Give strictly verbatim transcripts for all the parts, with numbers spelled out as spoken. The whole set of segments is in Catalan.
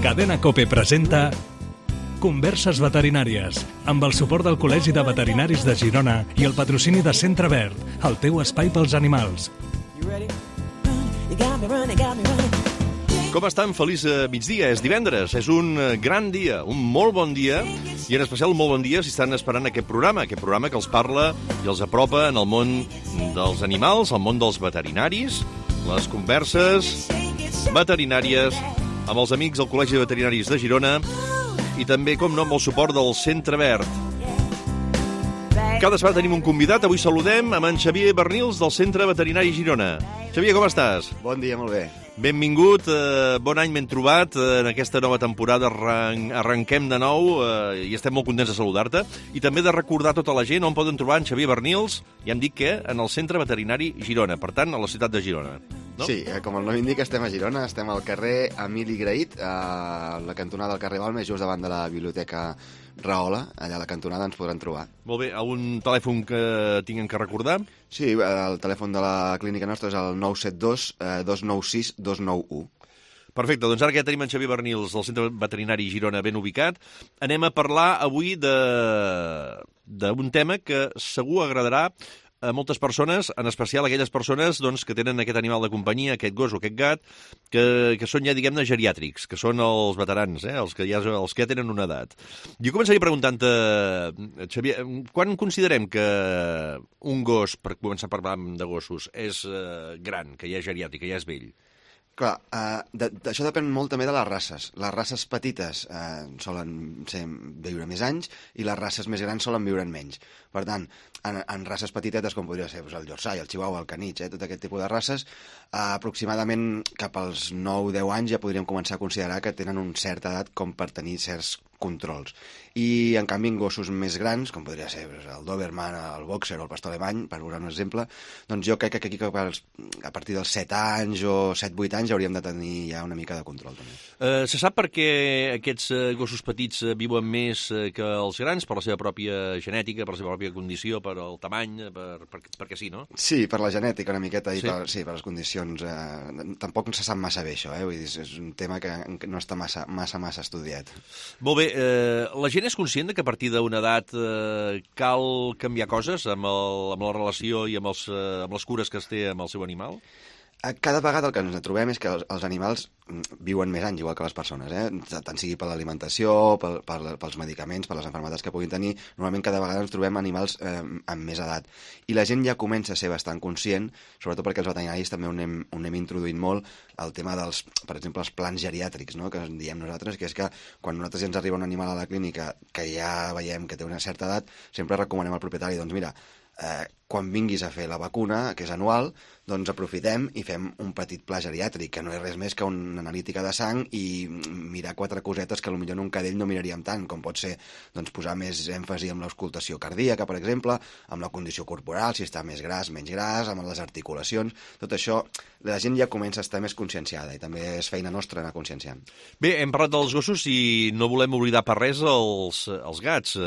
Cadena COPE presenta Converses veterinàries, amb el suport del Col·legi de Veterinaris de Girona i el patrocini de Centre Verd, el teu espai pels animals. Com estan? Feliç migdia. És divendres, és un gran dia, un molt bon dia, i en especial un molt bon dia si estan esperant aquest programa, aquest programa que els parla i els apropa en el món dels animals, el món dels veterinaris, les converses veterinàries amb els amics del Col·legi de Veterinaris de Girona i també, com no, amb el suport del Centre Verd. Cada setmana tenim un convidat. Avui saludem amb en Xavier Bernils del Centre Veterinari Girona. Xavier, com estàs? Bon dia, molt bé. Benvingut, eh, bon any ben trobat eh, en aquesta nova temporada. Arran arrenquem de nou eh, i estem molt contents de saludar-te. I també de recordar a tota la gent on poden trobar en Xavier Bernils, ja em dic que en el Centre Veterinari Girona, per tant, a la ciutat de Girona. No? Sí, eh, com el nom indica, estem a Girona, estem al carrer Emili Grahit, a la cantonada del carrer Balmes, just davant de la biblioteca Rahola, allà a la cantonada ens podran trobar. Molt bé, algun telèfon que tinguem que recordar? Sí, el telèfon de la clínica nostra és el nou set dos, dos nou sis, dos nou u. Perfecte, doncs ara que ja tenim en Xavier Bernils del Centre Veterinari Girona ben ubicat, anem a parlar avui de d'un tema que segur agradarà a moltes persones, en especial aquelles persones doncs, que tenen aquest animal de companyia, aquest gos o aquest gat, que, que són ja, diguem-ne, geriàtrics, que són els veterans, eh? els, que ja, els que ja tenen una edat. Jo començaria preguntant-te, Xavier, quan considerem que un gos, per començar a parlar de gossos, és eh, gran, que ja és geriàtric, que ja és vell? Clar, eh, de, de, això depèn molt també de les races. Les races petites eh, solen ser, viure més anys i les races més grans solen viure menys. Per tant, en, en races petitetes, com podria ser doncs, el Yorkshire, el Chihuahua, el Caniche, eh, tot aquest tipus de races, eh, aproximadament cap als nou a deu anys ja podríem començar a considerar que tenen una certa edat com per tenir certs controls. I, en canvi, en gossos més grans, com podria ser el Doberman, el Boxer o el Pastor Alemany, per posar un exemple, doncs jo crec que aquí a partir dels set anys o set vuit anys ja hauríem de tenir ja una mica de control, també. Uh, se sap per què aquests uh, gossos petits uh, viuen més uh, que els grans? Per la seva pròpia genètica, per la seva pròpia condició, per el tamany, per, per, perquè sí, no? Sí, per la genètica una miqueta i sí. per, sí, per les condicions. Eh, tampoc se sap massa bé això, eh? Vull dir, és un tema que no està massa, massa, massa estudiat. Molt bé, eh, la gent és conscient que a partir d'una edat eh, cal canviar coses amb, el, amb la relació i amb, els, eh, amb les cures que es té amb el seu animal? Cada vegada el que ens trobem és que els, els animals viuen més anys, igual que les persones, eh? Tant sigui per l'alimentació, per, per, pels medicaments, per les malalties que puguin tenir. Normalment cada vegada ens trobem animals eh, amb més edat. I la gent ja comença a ser bastant conscient, sobretot perquè els veterinaris també ho anem, ho anem introduint molt, el tema dels, per exemple, els plans geriàtrics, no? Que diem nosaltres, que és que quan nosaltres ja ens arriba un animal a la clínica que ja veiem que té una certa edat, sempre recomanem al propietari, doncs mira, eh, quan vinguis a fer la vacuna, que és anual, doncs aprofitem i fem un petit pla geriàtric, que no és res més que una analítica de sang i mirar quatre cosetes que potser en un cadell no miraríem tant, com pot ser doncs, posar més èmfasi en l'auscultació cardíaca, per exemple, amb la condició corporal, si està més gras, menys gras, amb les articulacions. Tot això, la gent ja comença a estar més conscienciada i també és feina nostra anar conscienciant. Bé, hem parlat dels gossos i no volem oblidar per res els, els gats.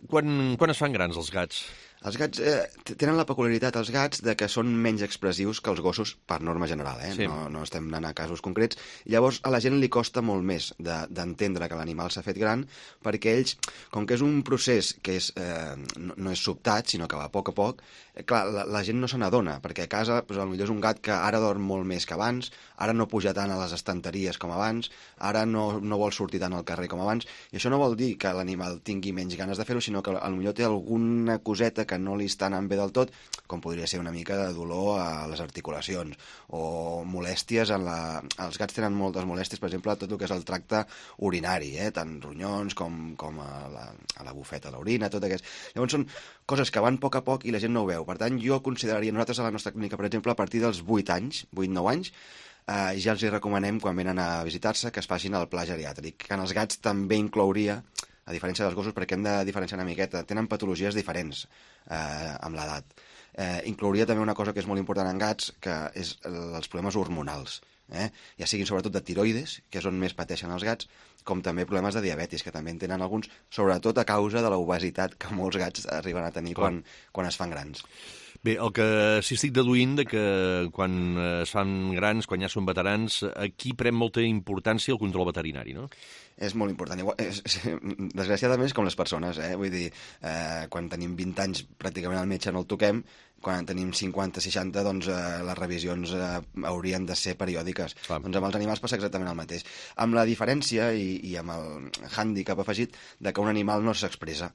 Quan, quan es fan grans els gats? Els gats eh, tenen la peculiaritat, els gats, de que són menys expressius que els gossos per norma general, eh? Sí. No, no estem anant a casos concrets. Llavors, a la gent li costa molt més d'entendre de, que l'animal s'ha fet gran, perquè ells, com que és un procés que és, eh, no, no és sobtat, sinó que va a poc a poc, eh, clar, la, la gent no se n'adona, perquè a casa doncs, potser és un gat que ara dorm molt més que abans, ara no puja tant a les estanteries com abans, ara no, no vol sortir tant al carrer com abans, i això no vol dir que l'animal tingui menys ganes de fer-ho, sinó que potser té alguna coseta que no li està anant bé del tot, com podria ser una mica de dolor a les articulacions o molèsties en la... Els gats tenen moltes molèsties, per exemple, tot el que és el tracte urinari, eh? Tant ronyons com, com a, la, a la bufeta, a l'orina, tot aquest... Llavors són coses que van a poc a poc i la gent no ho veu. Per tant, jo consideraria, nosaltres a la nostra clínica, per exemple, a partir dels vuit anys, vuit nou anys, eh, ja els hi recomanem, quan venen a visitar-se, que es facin el pla geriàtric, que en els gats també inclouria, a diferència dels gossos, perquè hem de diferenciar una miqueta, tenen patologies diferents eh, amb l'edat. Eh, inclouria també una cosa que és molt important en gats, que és els problemes hormonals, eh? Ja siguin sobretot de tiroides, que és on més pateixen els gats, com també problemes de diabetis, que també en tenen alguns, sobretot a causa de l'obesitat que molts gats arriben a tenir quan, quan es fan grans. Bé, el que sí estic deduint de que quan es fan grans, quan ja són veterans, aquí pren molta importància el control veterinari, no? És molt important. Igual, és, és, desgraciadament és com les persones, eh? Vull dir, eh, quan tenim vint anys pràcticament el metge no el toquem, quan tenim cinquanta, seixanta, doncs eh, les revisions eh, haurien de ser periòdiques. Clar. Doncs amb els animals passa exactament el mateix. Amb la diferència i, i amb el hàndicap afegit de que un animal no s'expressa.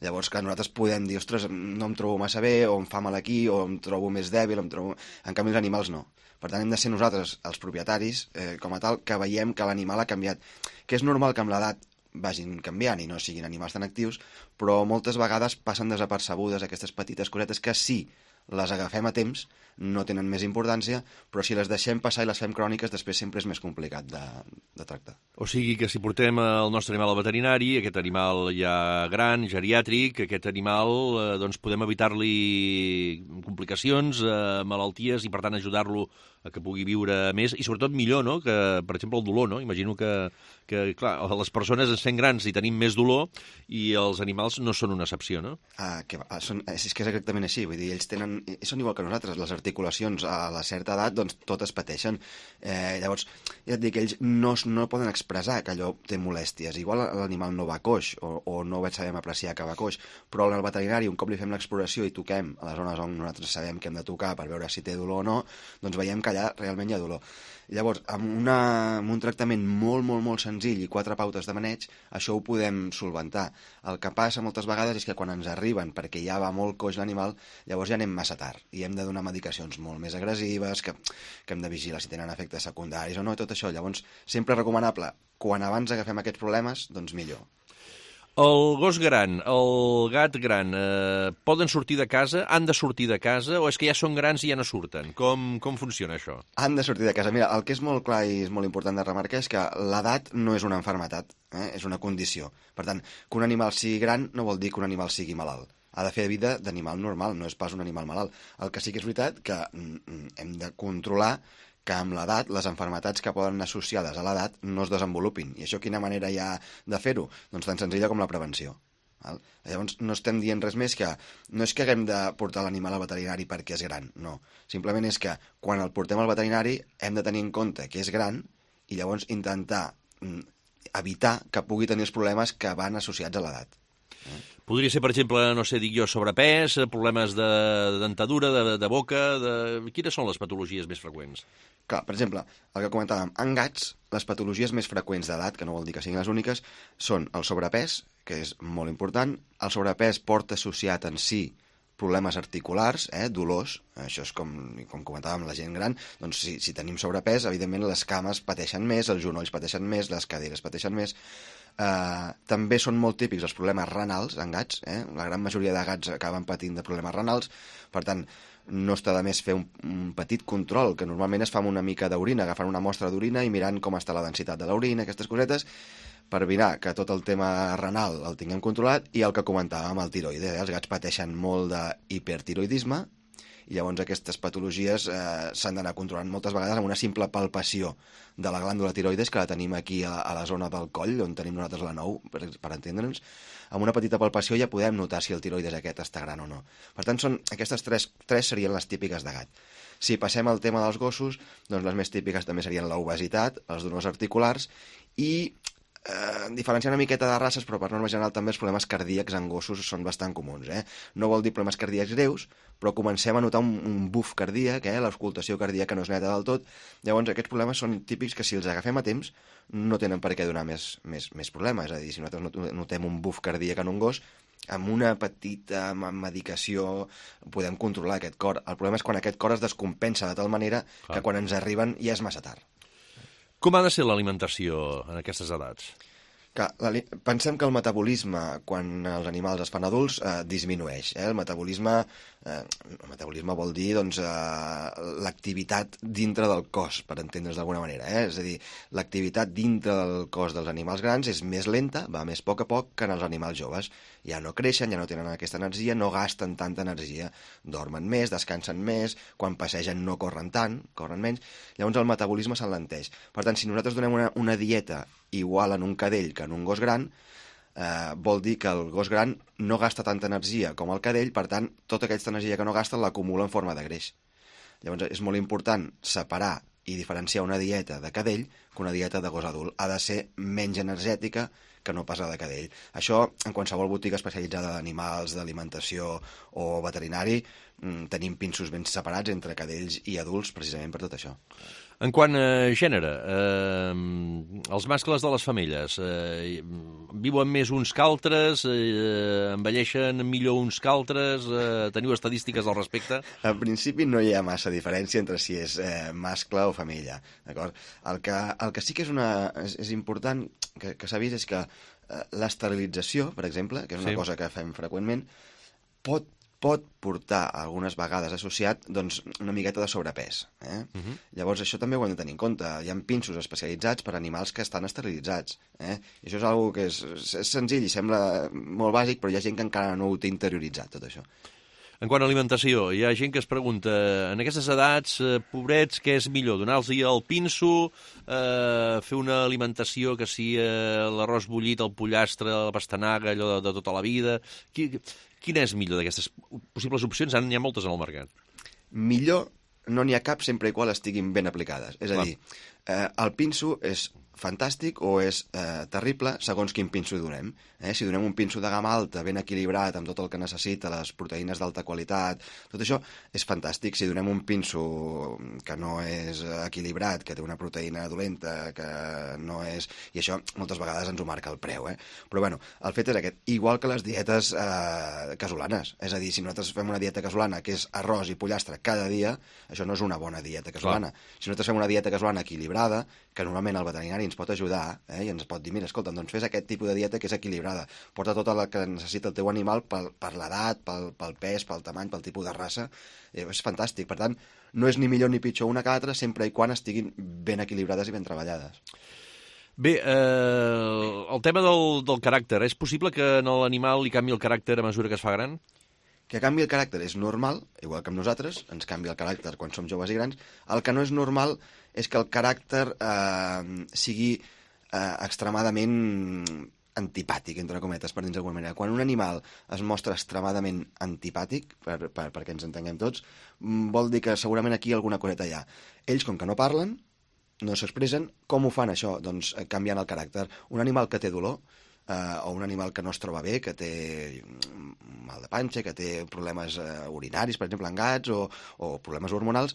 Llavors, que nosaltres podem dir, ostres, no em trobo massa bé, o em fa mal aquí, o em trobo més dèbil, em trobo... En canvi, els animals no. Per tant, hem de ser nosaltres, els propietaris, eh, com a tal, que veiem que l'animal ha canviat. Que és normal que amb l'edat vagin canviant i no siguin animals tan actius, però moltes vegades passen desapercebudes aquestes petites cosetes que sí, les agafem a temps, no tenen més importància, però si les deixem passar i les fem cròniques, després sempre és més complicat de, de tractar. O sigui que si portem el nostre animal al veterinari, aquest animal ja gran, geriàtric, aquest animal, eh, doncs podem evitar-li complicacions, eh, malalties, i per tant ajudar-lo a que pugui viure més, i sobretot millor, no?, que, per exemple, el dolor, no? Imagino que, que clar, les persones ens fem grans i tenim més dolor, i els animals no són una excepció, no? Ah, que, ah, són, és que és exactament així, vull dir, ells tenen, són igual que nosaltres, les articulacions a la certa edat, doncs totes pateixen. Eh, llavors, ja et dic, ells no, no poden expressar que allò té molèsties. Igual l'animal no va coix, o, o no sabem apreciar que va coix, però en el veterinari, un cop li fem l'exploració i toquem a les zones on nosaltres sabem que hem de tocar per veure si té dolor o no, doncs veiem que allà realment hi ha dolor. Llavors, amb, una, amb un tractament molt, molt, molt senzill i quatre pautes de maneig, això ho podem solventar. El que passa moltes vegades és que quan ens arriben, perquè ja va molt coix l'animal, llavors ja anem massa tard i hem de donar medicacions molt més agressives, que, que hem de vigilar si tenen efectes secundaris o no, tot això. Llavors, sempre recomanable, quan abans agafem aquests problemes, doncs millor. El gos gran, el gat gran, eh, poden sortir de casa, han de sortir de casa, o és que ja són grans i ja no surten? Com, com funciona això? Han de sortir de casa. Mira, el que és molt clar i és molt important de remarcar és que l'edat no és una malaltia, eh? És una condició. Per tant, que un animal sigui gran no vol dir que un animal sigui malalt. Ha de fer vida d'animal normal, no és pas un animal malalt. El que sí que és veritat que mm, hem de controlar que amb l'edat les malalties que poden anar associades a l'edat no es desenvolupin. I això quina manera hi ha de fer-ho? Doncs tan senzilla com la prevenció. Val? Llavors no estem dient res més que... No és que haguem de portar l'animal al veterinari perquè és gran, no. Simplement és que quan el portem al veterinari hem de tenir en compte que és gran i llavors intentar evitar que pugui tenir els problemes que van associats a l'edat. Eh? Podria ser, per exemple, no sé, dic jo, sobrepès, problemes de dentadura, de, de boca... De... Quines són les patologies més freqüents? Clar, per exemple, el que comentàvem, en gats, les patologies més freqüents d'edat, que no vol dir que siguin les úniques, són el sobrepès, que és molt important. El sobrepès porta associat en si problemes articulars, eh, dolors, això és com, com comentàvem la gent gran, doncs si, si tenim sobrepès, evidentment les cames pateixen més, els genolls pateixen més, les caderes pateixen més. Uh, també són molt típics els problemes renals en gats, eh? La gran majoria de gats acaben patint de problemes renals, per tant, no està de més fer un, un petit control, que normalment es fa amb una mica d'orina, agafant una mostra d'orina i mirant com està la densitat de l'orina, aquestes cosetes, per mirar que tot el tema renal el tinguem controlat, i el que comentàvem, el tiroide, eh? Els gats pateixen molt d'hipertiroidisme, i llavors aquestes patologies eh, s'han d'anar controlant moltes vegades amb una simple palpació de la glàndula tiroides, que la tenim aquí a, a la zona del coll, on tenim nosaltres la nou, per, per entendre'ns. Amb una petita palpació ja podem notar si el tiroides aquest està gran o no. Per tant, són, aquestes tres, tres serien les típiques de gat. Si passem al tema dels gossos, doncs les més típiques també serien l'obesitat, els dolors articulars i... Eh, diferenciar una miqueta de races, però per norma general també els problemes cardíacs en gossos són bastant comuns. Eh? No vol dir problemes cardíacs greus, però comencem a notar un, un buf cardíac, eh? L'escoltació cardíaca no és neta del tot. Llavors aquests problemes són típics que si els agafem a temps no tenen per què donar més, més, més problemes. És a dir, si nosaltres notem un buf cardíac en un gos, amb una petita medicació podem controlar aquest cor. El problema és quan aquest cor es descompensa de tal manera Clar. Que quan ens arriben ja és massa tard. Com ha de ser l'alimentació en aquestes edats? Que, pensem que el metabolisme, quan els animals es fan adults, eh, disminueix. Eh? El metabolisme, eh, el metabolisme vol dir doncs, eh, l'activitat dintre del cos, per entendre's d'alguna manera. Eh? És a dir, l'activitat dintre del cos dels animals grans és més lenta, va més a poc a poc que en els animals joves. Ja no creixen, ja no tenen aquesta energia, no gasten tanta energia. Dormen més, descansen més, quan passegen no corren tant, corren menys. Llavors el metabolisme s'enlenteix. Per tant, si nosaltres donem una, una dieta igual en un cadell que en un gos gran, eh, vol dir que el gos gran no gasta tanta energia com el cadell, per tant, tota aquesta energia que no gasta l'acumula en forma de greix. Llavors, és molt important separar i diferenciar una dieta de cadell que una dieta de gos adult. Ha de ser menys energètica que no pas la de cadell. Això, en qualsevol botiga especialitzada d'animals, d'alimentació o veterinari, tenim pinsos ben separats entre cadells i adults precisament per tot això. En quant a gènere, eh, els mascles de les femelles eh, viuen més uns que altres, eh, envelleixen millor uns que altres, eh, teniu estadístiques al respecte? En principi no hi ha massa diferència entre si és eh, mascle o femella, d'acord? El que, el que sí que és, una, és, és important que, que s'ha vist és que eh, l'esterilització, per exemple, que és una sí. cosa que fem freqüentment, pot pot portar algunes vegades associat doncs, una miqueta de sobrepès. Eh? Uh -huh. Llavors això també ho hem de tenir en compte. Hi ha pinsos especialitzats per animals que estan esterilitzats. Eh? I això és una cosa que és, és senzill i sembla molt bàsic, però hi ha gent que encara no ho té interioritzat, tot això. En quant a alimentació, hi ha gent que es pregunta, en aquestes edats, eh, pobrets, què és millor? Donar-los el pinso, eh, fer una alimentació que sigui eh, l'arròs bullit, el pollastre, la pastanaga, allò de, de tota la vida... Qui, quina és millor d'aquestes possibles opcions? Ara n'hi ha moltes en el mercat. Millor no n'hi ha cap sempre i qual estiguin ben aplicades. És a dir, eh, el pinso és fantàstic o és eh, terrible segons quin pinso donem. Eh? Si donem un pinso de gamma alta, ben equilibrat, amb tot el que necessita, les proteïnes d'alta qualitat, tot això és fantàstic. Si donem un pinso que no és equilibrat, que té una proteïna dolenta, que no és... I això moltes vegades ens ho marca el preu. Eh? Però bueno, el fet és aquest. Igual que les dietes eh, casolanes. És a dir, si nosaltres fem una dieta casolana que és arròs i pollastre cada dia, això no és una bona dieta casolana. Clar. Si nosaltres fem una dieta casolana equilibrada, que normalment el veterinari ens pot ajudar eh, i ens pot dir, mira, escolta, doncs fes aquest tipus de dieta que és equilibrada, porta tot el que necessita el teu animal per, per l'edat, pel, pel pes, pel tamany, pel tipus de raça, eh, és fantàstic. Per tant, no és ni millor ni pitjor una que l'altra, sempre i quan estiguin ben equilibrades i ben treballades. Bé, eh, el tema del, del caràcter, és possible que en l'animal li canvi el caràcter a mesura que es fa gran? Que canvi el caràcter és normal, igual que amb nosaltres, ens canvia el caràcter quan som joves i grans. El que no és normal és que el caràcter eh, sigui eh, extremadament antipàtic, entre cometes, per dir-ho d'alguna manera. Quan un animal es mostra extremadament antipàtic, per, per, perquè ens entenguem tots, vol dir que segurament aquí alguna coseta hi ha. Ells, com que no parlen, no s'expressen, com ho fan això? Doncs canviant el caràcter. Un animal que té dolor, Uh, o un animal que no es troba bé, que té mal de panxa, que té problemes uh, urinaris, per exemple, en gats, o, o problemes hormonals,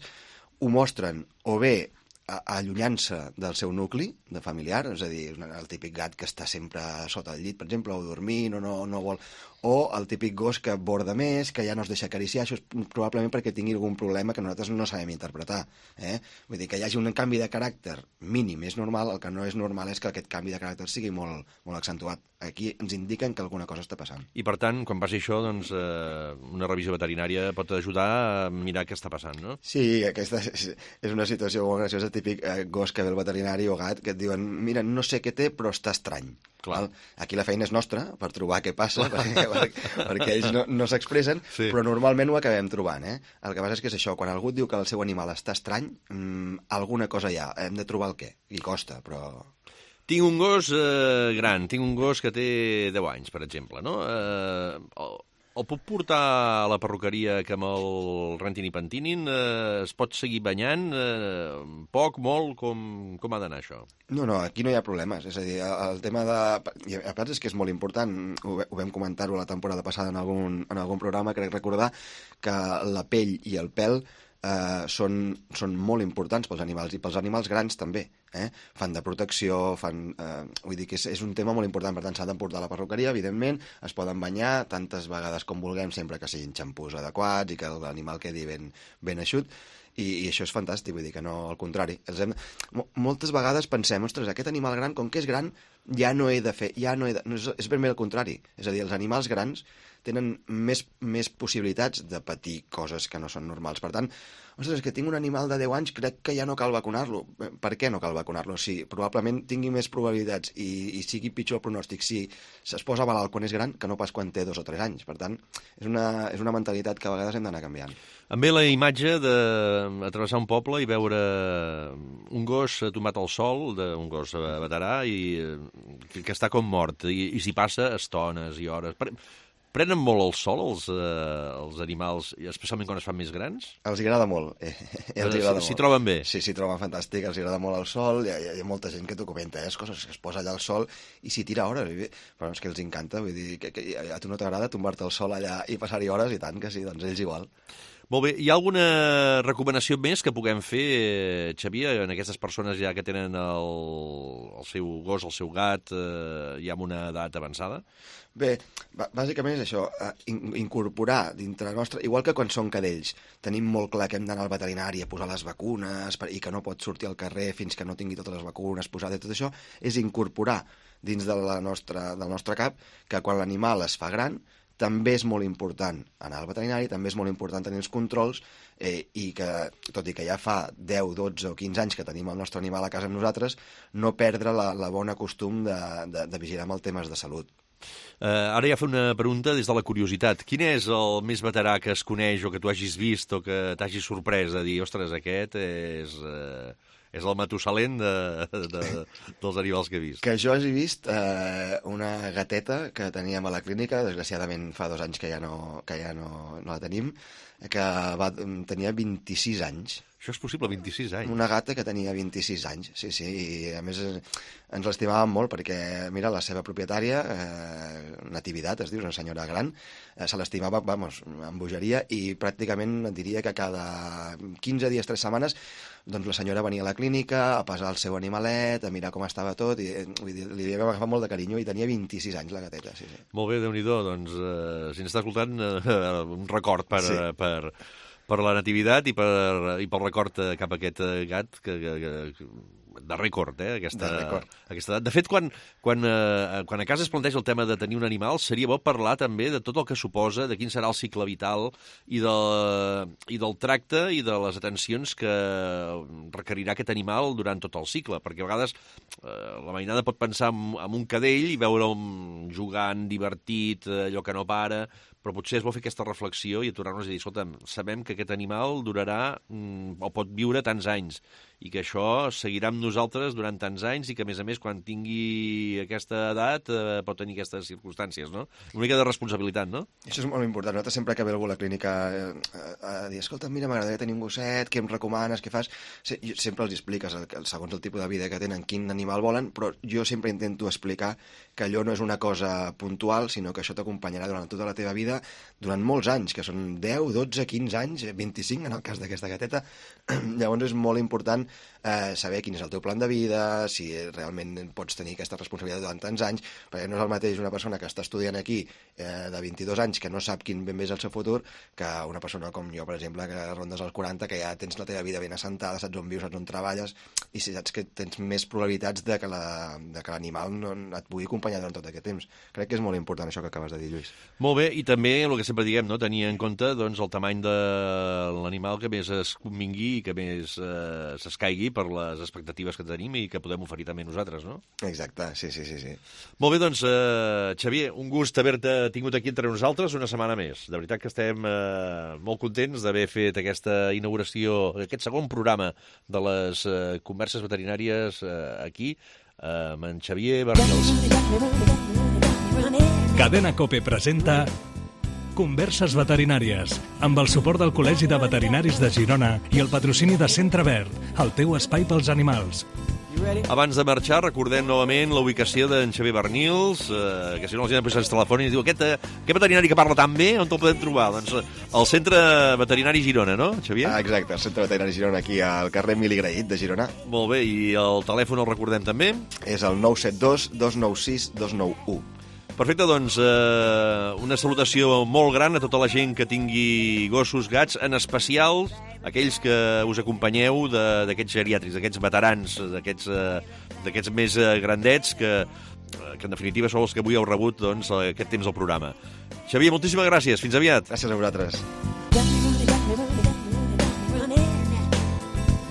ho mostren o bé allunyant-se del seu nucli de familiar, és a dir, el típic gat que està sempre sota el llit, per exemple, o dormint, o no, no vol... o el típic gos que borda més, que ja no es deixa acariciar, això és probablement perquè tingui algun problema que nosaltres no sabem interpretar. Eh? Vull dir que hi hagi un canvi de caràcter mínim és normal, el que no és normal és que aquest canvi de caràcter sigui molt, molt accentuat. Aquí ens indiquen que alguna cosa està passant. I per tant, quan passi això, doncs, eh, una revisió veterinària pot ajudar a mirar què està passant, no? Sí, aquesta és, és una situació molt graciosa, típic eh, gos que ve el veterinari o gat, que et diuen, mira, no sé què té, però està estrany. Clar. Aquí la feina és nostra per trobar què passa, perquè, perquè, perquè ells no, no s'expressen, sí. Però normalment ho acabem trobant. Eh? El que passa és que és això, quan algú et diu que el seu animal està estrany, mmm, alguna cosa hi ha, hem de trobar el què, i costa, però... Tinc un gos eh, gran, tinc un gos que té deu anys, per exemple, no? Eh, el, el puc portar a la perruqueria que me'l rentin i pentinin? Eh, es pot seguir banyant? Eh, poc, molt? Com, com ha d'anar això? No, no, aquí no hi ha problemes. És a dir, el tema de... I a part és que és molt important, ho, ho vam comentar-ho la temporada passada en algun, en algun programa, crec recordar que la pell i el pèl eh, són, són molt importants pels animals, i pels animals grans també. Eh? Fan de protecció, fan... Eh, vull dir que és, és un tema molt important, per tant s'ha d'emportar a la perruqueria, evidentment, es poden banyar tantes vegades com vulguem, sempre que siguin xampús adequats i que l'animal quedi ben, ben eixut, i, i això és fantàstic, vull dir que no, al contrari. Els hem... Moltes vegades pensem, ostres, aquest animal gran, com que és gran, ja no he de fer, ja no he de... No, és, és ben bé el contrari. És a dir, els animals grans tenen més, més possibilitats de patir coses que no són normals. Per tant, ostres, és que tinc un animal de deu anys, crec que ja no cal vacunar-lo. Per què no cal vacunar-lo? Si probablement tingui més probabilitats i, i sigui pitjor el pronòstic si es posa malalt quan és gran que no pas quan té dos o tres anys. Per tant, és una, és una mentalitat que a vegades hem d'anar canviant. Em ve la imatge de travessar un poble i veure un gos tombat al sol, de, un gos veterà, i que, que està com mort, i, i s'hi passa estones i hores. Prenen molt el sol els, eh, els animals, especialment quan es fan més grans? Els agrada molt. Eh, els agrada S'hi troben bé? Sí, s'hi troben fantàstic, els agrada molt el sol, hi ha, hi ha molta gent que t'ho comenta, eh, coses que es posa allà al sol i s'hi tira hores, però és que els encanta, vull dir, que, que a tu no t'agrada tombar-te al sol allà i passar-hi hores, i tant que sí, doncs ells igual. Molt bé, hi ha alguna recomanació més que puguem fer, Xavier, en aquestes persones ja que tenen el, el seu gos, el seu gat, eh, ja amb una edat avançada? Bé, bàsicament és això, incorporar dintre nostre, igual que quan són cadells, tenim molt clar que hem d'anar al veterinari a posar les vacunes i que no pot sortir al carrer fins que no tingui totes les vacunes posades i tot això, és incorporar dins de la nostra, del nostre cap que quan l'animal es fa gran també és molt important anar al veterinari, també és molt important tenir els controls eh, i que, tot i que ja fa deu, dotze o quinze anys que tenim el nostre animal a casa amb nosaltres, no perdre la, la bona costum de, de, de vigilar amb els temes de salut. Uh, ara ja fa una pregunta des de la curiositat. Quin és el més veterà que es coneix o que tu hagis vist o que t'hagi sorprès de dir, ostres, aquest és... Uh... és el Matusalén de, de, dels animals que he vist. Que jo hagi vist eh, una gateta que teníem a la clínica, desgraciadament fa dos anys que ja no, que ja no, no la tenim, que va, tenia vint-i-sis anys. Això és possible, vint-i-sis anys? Una gata que tenia vint-i-sis anys, sí, sí, i a més ens l'estimàvem molt perquè, mira, la seva propietària, eh, Natividad, es diu, una senyora gran, eh, se l'estimava, vamos, amb bogeria, i pràcticament et diria que cada quinze dies, tres setmanes, doncs la senyora venia a la clínica a pesar el seu animalet, a mirar com estava tot, i vull dir, li havia agafat molt de carinyo, i tenia vint-i-sis anys la gateta, sí, sí. Molt bé, Déu-n'hi-do, doncs, eh, si ens està escoltant, eh, un record per... Sí. per... per la nativitat i, per, i pel record cap a aquest gat que, que, que, de rècord, eh, aquesta, de rècord. Aquesta edat. De fet, quan, quan, eh, quan a casa es planteja el tema de tenir un animal, seria bo parlar també de tot el que suposa, de quin serà el cicle vital i, de, i del tracte i de les atencions que requerirà aquest animal durant tot el cicle, perquè a vegades eh, la mainada pot pensar en, en un cadell i veure'l jugant, divertit, allò que no para, però potser és bo fer aquesta reflexió i aturar-nos i dir, escolta'm, sabem que aquest animal durarà mm, o pot viure tants anys i que això seguirà amb nosaltres durant tants anys i que, a més a més, quan tingui aquesta edat eh, pot tenir aquestes circumstàncies, no? Una mica de responsabilitat, no? Això és molt important. Nosaltres sempre que ve algú a la clínica eh, a dir, escolta, mira, m'agradaria tenir un gosset, què em recomanes, què fas? Sí, sempre els expliques, el, segons el tipus de vida que tenen, quin animal volen, però jo sempre intento explicar que allò no és una cosa puntual, sinó que això t'acompanyarà durant tota la teva vida, durant molts anys, que són deu, dotze, quinze anys, vint-i-cinc en el cas d'aquesta gateta. Llavors és molt important eh, saber quin és el teu plan de vida, si realment pots tenir aquesta responsabilitat durant tants anys, perquè no és el mateix una persona que està estudiant aquí eh, de vint-i-dos anys que no sap quin ben bé és el seu futur, que una persona com jo, per exemple, que rondes als quaranta, que ja tens la teva vida ben assentada, saps on vius, saps on treballes, i si saps que tens més probabilitats de que l'animal no et pugui acompanyar durant tot aquest temps. Crec que és molt important això que acabes de dir, Lluís. Molt bé, i també el que sempre diguem, no? Tenir en compte doncs, el tamany de l'animal que més es convingui i que més eh, s'escaigui per les expectatives que tenim i que podem oferir també nosaltres, no? Exacte, sí, sí, sí. sí. Molt bé, doncs, eh, Xavier, un gust haver-te tingut aquí entre nosaltres una setmana més. De veritat que estem eh, molt contents d'haver fet aquesta inauguració, aquest segon programa de les eh, converses veterinàries eh, aquí, eh, amb en Xavier Bernils. Cadena COPE presenta Converses veterinàries, amb el suport del Col·legi de Veterinaris de Girona i el patrocini de Centre Verd, el teu espai pels animals. Abans de marxar, recordem novament la ubicació d'en Xavier Bernils, eh, que si no la gent després es telefona i diu aquest, eh, aquest veterinari que parla tan bé, on te'l podem trobar? Doncs al Centre Veterinari Girona, no, Xavier? Ah, exacte, el Centre Veterinari Girona, aquí al carrer Emili Graït de Girona. Molt bé, i el telèfon el recordem també? És el nou set dos, dos nou sis, dos nou u. Perfecte, doncs, eh, una salutació molt gran a tota la gent que tingui gossos, gats, en especial aquells que us acompanyeu d'aquests geriàtrics, d'aquests veterans, d'aquests eh, més eh, grandets, que, que en definitiva són els que avui heu rebut doncs, aquest temps del programa. Xavier, moltíssimes gràcies. Fins aviat. Gràcies a vosaltres.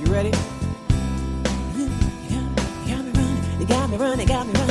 You ready? You got me running, you got me running.